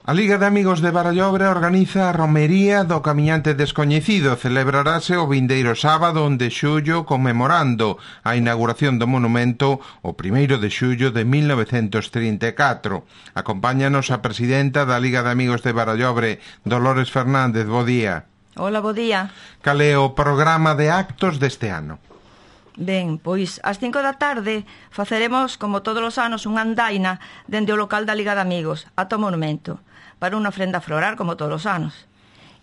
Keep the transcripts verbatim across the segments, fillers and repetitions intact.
A Liga de Amigos de Barallobre organiza a Romería do Camiñante Descoñecido. Celebrarase o vindeiro sábado de xullo conmemorando a inauguración do monumento o primeiro de xullo de mil novecentos trinta e catro. Acompáñanos a presidenta da Liga de Amigos de Barallobre, Dolores Fernández. Bo día. Hola, bo día. Cal é o programa de actos deste ano? Ben, pois ás cinco da tarde faceremos, como todos os anos, unha andaina dende o local da Liga de Amigos ata o monumento, para unha ofrenda floral, como todos os anos.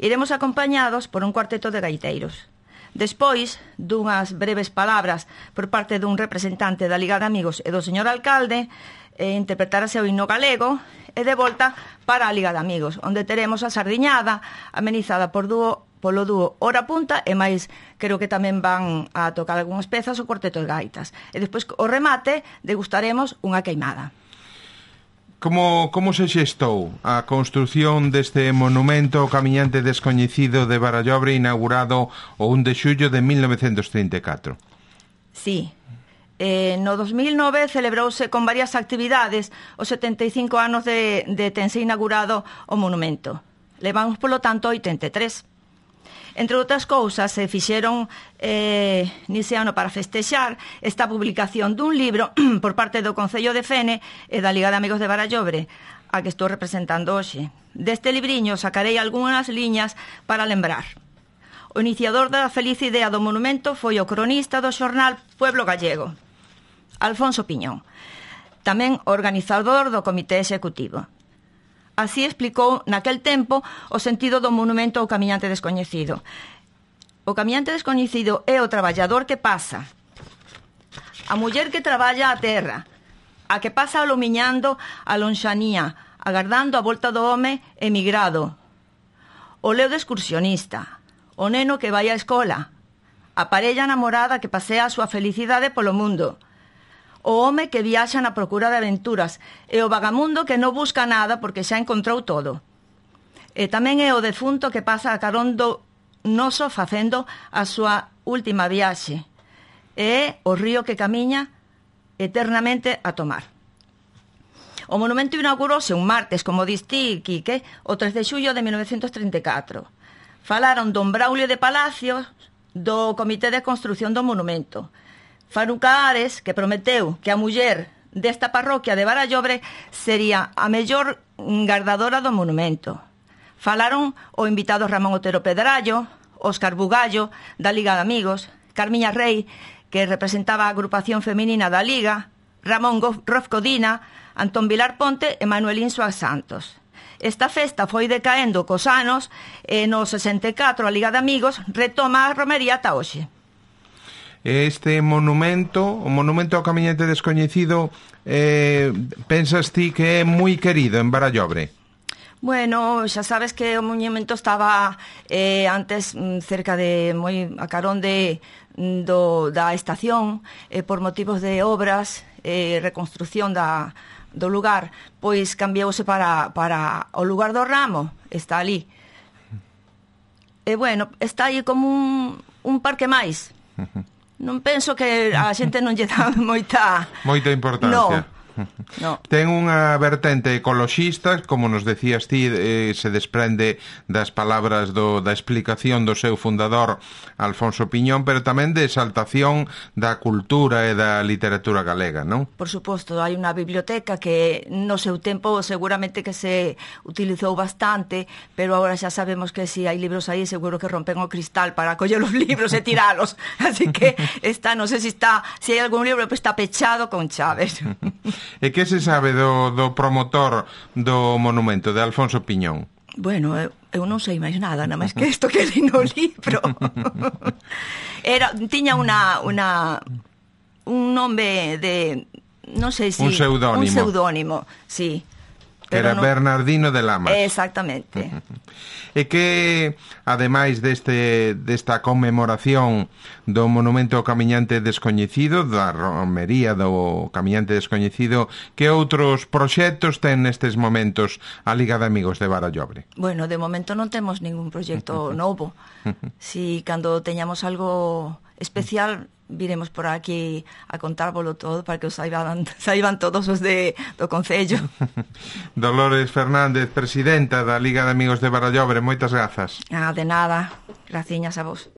Iremos acompañados por un cuarteto de gaiteiros. Despois dunhas breves palabras por parte dun representante da Liga de Amigos e do señor alcalde, eh, interpretarase o himno galego e de volta para a Liga de Amigos, onde teremos a sardiñada amenizada por dúo polo dúo Hora Punta e máis, creo que tamén van a tocar algunhas pezas o cuarteto de gaitas. E despois, o remate, degustaremos unha queimada. Como, como se xestou a construción deste monumento ao Camiñante Descoñecido de Barallobre inaugurado o un de xullo de mil novecentos trinta e catro? Sí. Eh, no dos mil nove celebrouse con varias actividades os setenta e cinco anos de, de tense inaugurado o monumento. Levamos, polo tanto, oitenta e tres. Entre outras cousas, se fixeron eh, nese ano para festexar esta publicación dun libro por parte do Concello de Fene e da Liga de Amigos de Barallobre, a que estou representando hoxe. Deste libriño sacarei algunhas liñas para lembrar. O iniciador da feliz idea do monumento foi o cronista do xornal Pueblo Gallego, Alfonso Piñón, tamén organizador do comité executivo. Así explicou naquel tempo o sentido do monumento ao Camiñante Descoñecido. O Camiñante Descoñecido é o traballador que pasa, a muller que traballa a terra, a que pasa alumiñando a lonxanía, agardando a volta do home emigrado, o leo de excursionista, o neno que vai á escola, a parella namorada que pasea a súa felicidade polo mundo, o home que viaxa na procura de aventuras e o vagamundo que non busca nada porque xa encontrou todo. E tamén é o defunto que pasa a carón do noso facendo a súa última viaxe. E é o río que camiña eternamente a tomar. O monumento inaugurouse un martes, como diste, Quique, o tres de xullo de mil novecentos trinta e catro. Falaron don Braulio de Palacios do Comité de Construción do Monumento. Faruca Ares, que prometeu que a muller desta parroquia de Barallobre sería a mellor gardadora do monumento. Falaron o invitado Ramón Otero Pedrallo, Óscar Bugallo, da Liga de Amigos, Carmiña Rei, que representaba a agrupación feminina da Liga, Ramón Rofcodina, Antón Vilar Ponte e Manuelín Suárez Santos. Esta festa foi decaendo cos anos e no sesenta e catro a Liga de Amigos retoma a romería ata hoxe. Este monumento, o monumento ao Camiñante Descoñecido, eh, pensas ti que é moi querido en Barallobre? Bueno, xa sabes que o monumento estaba eh, antes cerca de, moi a carón de, do, da estación, eh, por motivos de obras, eh, reconstrucción da, do lugar, pois cambiouse para, para o lugar do Ramo, está ali. E bueno, está aí como un, un parque máis. Non penso que a xente non lle dá moita... Moita importancia. No. No. Ten unha vertente ecoloxista, como nos decías ti, eh, se desprende das palabras do, da explicación do seu fundador Alfonso Piñón, pero tamén de exaltación da cultura e da literatura galega, non? Por suposto, hai unha biblioteca que no seu tempo seguramente que se utilizou bastante, pero agora xa sabemos que se si hai libros aí seguro que rompen o cristal para coller os libros e tiralos, así que está, non sei se está, se hai algún libro que está pechado con chaves. E que se sabe do, do promotor do monumento, de Alfonso Piñón? Bueno, eu, eu non sei máis nada, nada máis que isto que li no libro. Era, tiña unha, unha un nome de, non sei se... Un pseudónimo. Un pseudónimo, sí. Que era non... Bernardino de Lamas. Exactamente. E que, ademais deste, desta conmemoración do monumento ao Camiñante Descoñecido, da romería do Camiñante Descoñecido, que outros proxectos ten nestes momentos a Liga de Amigos de Barallobre? Bueno, de momento non temos ningún proxecto novo. Si cando teñamos algo especial viremos por aquí a contárvolo todo para que os saiban, saiban todos os de, do Concello. Dolores Fernández, presidenta da Liga de Amigos de Barallobre, moitas grazas. Ah, de nada, graciñas a vos.